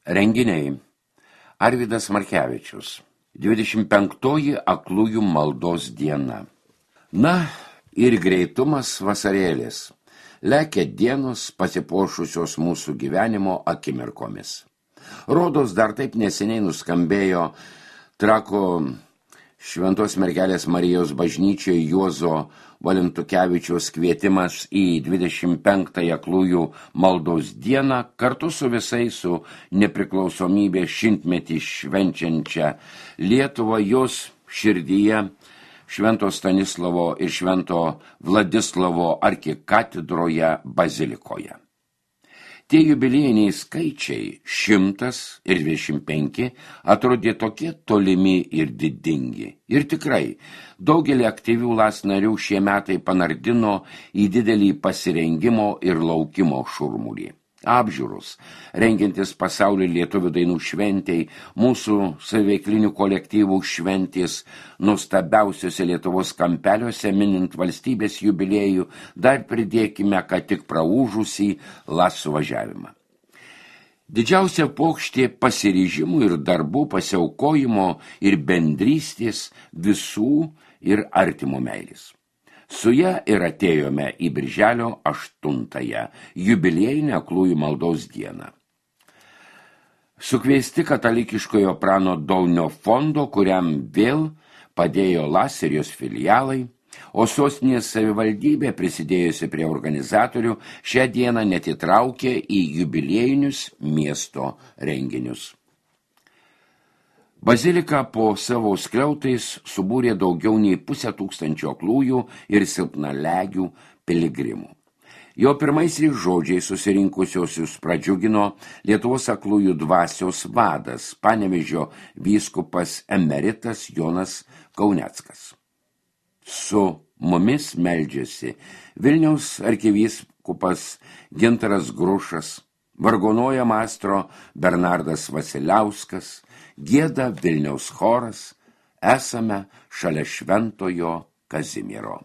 Renginiai. Arvydas Markevičius. 25 aklųjų maldos diena. Na ir greitumas vasarėlis. Lekia dienos pasipuošusios mūsų gyvenimo akimirkomis. Rodos dar taip neseniai nuskambėjo Trako Šventos mergelės Marijos bažnyčioje Juozo Valentukevičiaus kvietimas į 25 aklųjų maldos dieną kartu su visais su nepriklausomybės šimtmetį švenčiančia Lietuva jos širdyje Švento Stanislovo ir Švento Vladislavo arkikatedroje bazilikoje. Tie jubiliejiniai skaičiai 100 ir 25 atrodė tokie tolimi ir didingi. Ir tikrai, daugelį aktyvių LAS narių šie metai panardino į didelį pasirengimo ir laukimo šurmulį. Apžiūros, rengiantis pasaulio lietuvių dainų šventei, mūsų saviveiklinių kolektyvų šventės nuostabiausiuose Lietuvos kampeliuose minint valstybės jubiliejų, dar pridėkime, kad tik praūžusį LAS suvažiavimą. Didžiausia pokštė pasiryžimų ir darbų pasiaukojimo ir bendrystės visų ir artimo meilės. Su ja ir atėjome į birželio 8-ąją jubiliejinę aklųjų maldos dieną. Sukviesti katalikiškojo Prano Daunio fondo, kuriam vėl padėjo LAS ir jos filialai, o sostinės savivaldybė, prisidėjusi prie organizatorių, šią dieną net įtraukė į jubiliejinius miesto renginius. Bazilika po savo skliautais subūrė daugiau nei 500 aklųjų ir silpnalegių piligrimų. Jo pirmaisiais žodžiais susirinkusiosius pradžiugino Lietuvos aklųjų dvasios vadas, Panevėžio vyskupas emeritas Jonas Kauneckas. Su mumis meldžiasi Vilniaus arkivyskupas Gintaras Grušas, vargonuoja maestro Bernardas Vasiliauskas, gieda Vilniaus choras, esame šalia Šventojo Kazimiero.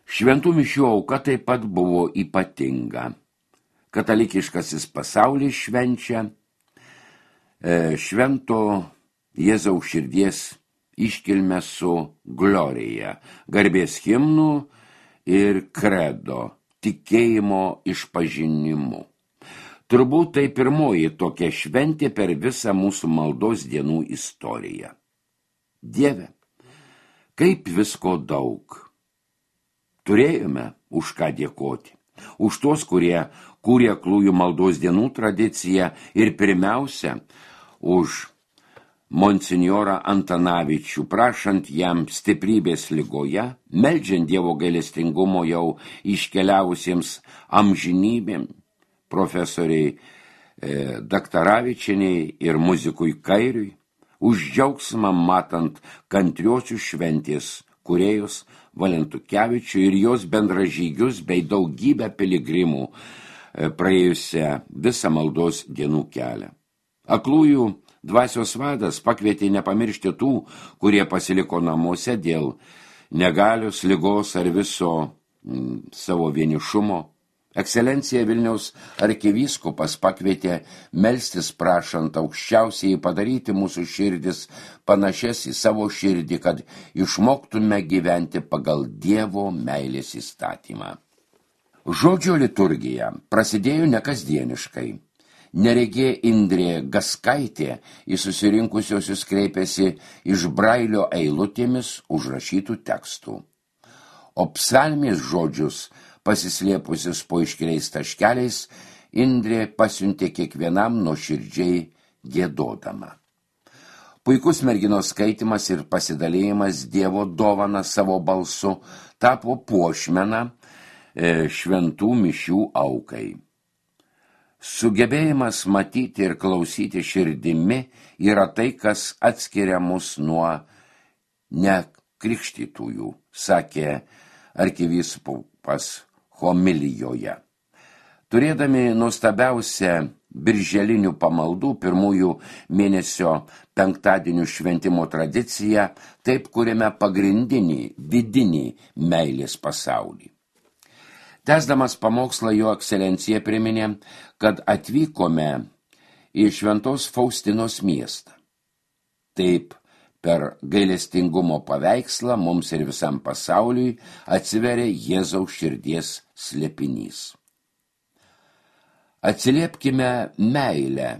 Šventų mišių auka taip pat buvo ypatinga. Katalikiškasis pasaulis švenčia Švento Jėzaus širdies iškilmę su glorija, garbės himnų ir kredo, tikėjimo išpažinimu. Turbūt tai pirmoji tokia šventė per visą mūsų maldos dienų istoriją. Dieve, kaip visko daug. Turėjome už ką dėkoti. Už tos, kurie kūrė aklųjų maldos dienų tradiciją ir pirmiausia, už monsinjorą Antanavičių, prašant jam stiprybės ligoje, meldžiant Dievo gailestingumo jau iškeliavusiems amžinybėm, profesoriai Daktaravičieniai ir muzikui Kairiui, už džiaugsmą matant kantriosius šventės kūrėjus Valentukevičių ir jos bendražygius bei daugybę piligrimų praėjusią visą maldos dienų kelią. Aklųjų dvasios vadas pakvietė nepamiršti tų, kurie pasiliko namuose dėl negalios, ligos ar viso savo vienišumo. Ekscelencija Vilniaus arkivyskupas pakvietė melstis prašant aukščiausiai padaryti mūsų širdis panašias į savo širdį, kad išmoktume gyventi pagal Dievo meilės įstatymą. Žodžio liturgija prasidėjo nekasdieniškai. Neregė Indrė Gaskaitė į susirinkusiosius kreipėsi iš Brailio eilutėmis užrašytų tekstų. O psalmės žodžius pasislėpusius po iškeliais taškeliais, Indrė pasiuntė kiekvienam nuoširdžiai giedodama. Puikus merginos skaitimas ir pasidalėjimas Dievo dovana savo balsu tapo puošmena šventų mišių aukai. Sugebėjimas matyti ir klausyti širdimi yra tai, kas atskiria mus nuo nekrikštytųjų, sakė arkivyskupas homilijoje. Turėdami nuostabiausią birželinių pamaldų pirmųjų mėnesio penktadienių šventimo tradiciją, taip kuriame pagrindinį, vidinį meilės pasaulį. Tęsdamas pamokslą jo ekscelencija priminė, kad atvykome į Šventos Faustinos miestą. Taip, per gailestingumo paveikslą mums ir visam pasauliui atsiveria Jėzaus širdies slėpinys. Atsiliepkime meilę,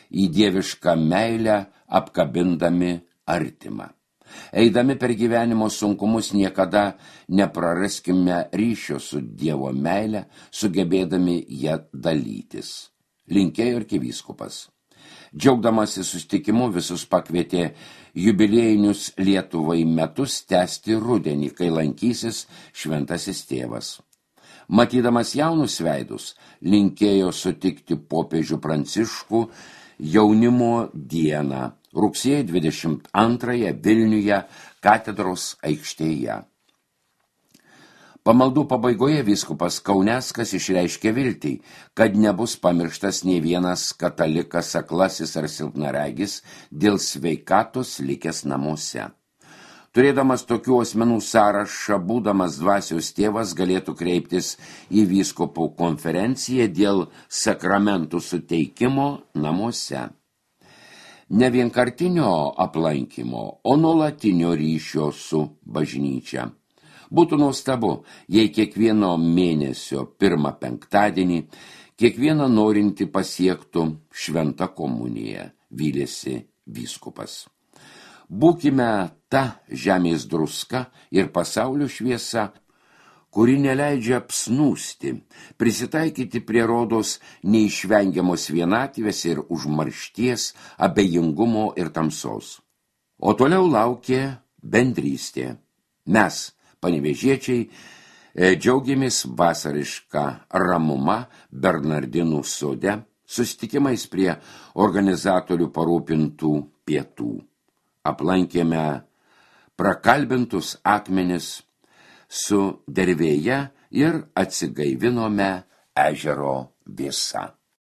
į dievišką meilę apkabindami artimą. Eidami per gyvenimo sunkumus niekada nepraraskime ryšio su Dievo meile, sugebėdami ją dalytis. Linkėjo arkivyskupas. Džiaugdamasi susitikimu visus pakvietė jubiliejinius Lietuvai metus tęsti rudenį, kai lankysis šventasis tėvas. Matydamas jaunus veidus, linkėjo sutikti popiežių Pranciškų jaunimo dieną, rugsėjo 22 Vilniuje katedros aikštėje. Pamaldų pabaigoje vyskupas Kauneckas išreiškė viltį, kad nebus pamirštas nei vienas katalikas aklasis ar silpnaregis dėl sveikatos likęs namuose. Turėdamas tokių asmenų sąrašą, būdamas dvasios tėvas galėtų kreiptis į vyskupų konferenciją dėl sakramentų suteikimo namuose. Ne vienkartinio aplankymo, o nuolatinio ryšio su bažnyčia. Būtų nuostabu, jei kiekvieno mėnesio pirmą penktadienį kiekvieną norintį pasiektų šventą komuniją, vylėsi vyskupas. Būkime ta žemės druska ir pasaulio šviesa, kuri neleidžia apsnūsti, prisitaikyti prie rodos neišvengiamos vienatvės ir užmaršties, abejingumo ir tamsos. O toliau laukė bendrystė. Mes, panevėžiečiai, džiaugiamės vasarišką ramumą Bernardinų sode, susitikimais prie organizatorių parūpintų pietų. Aplankėme prakalbintus akmenis su dervėje ir atsigaivinome ežero vėsa.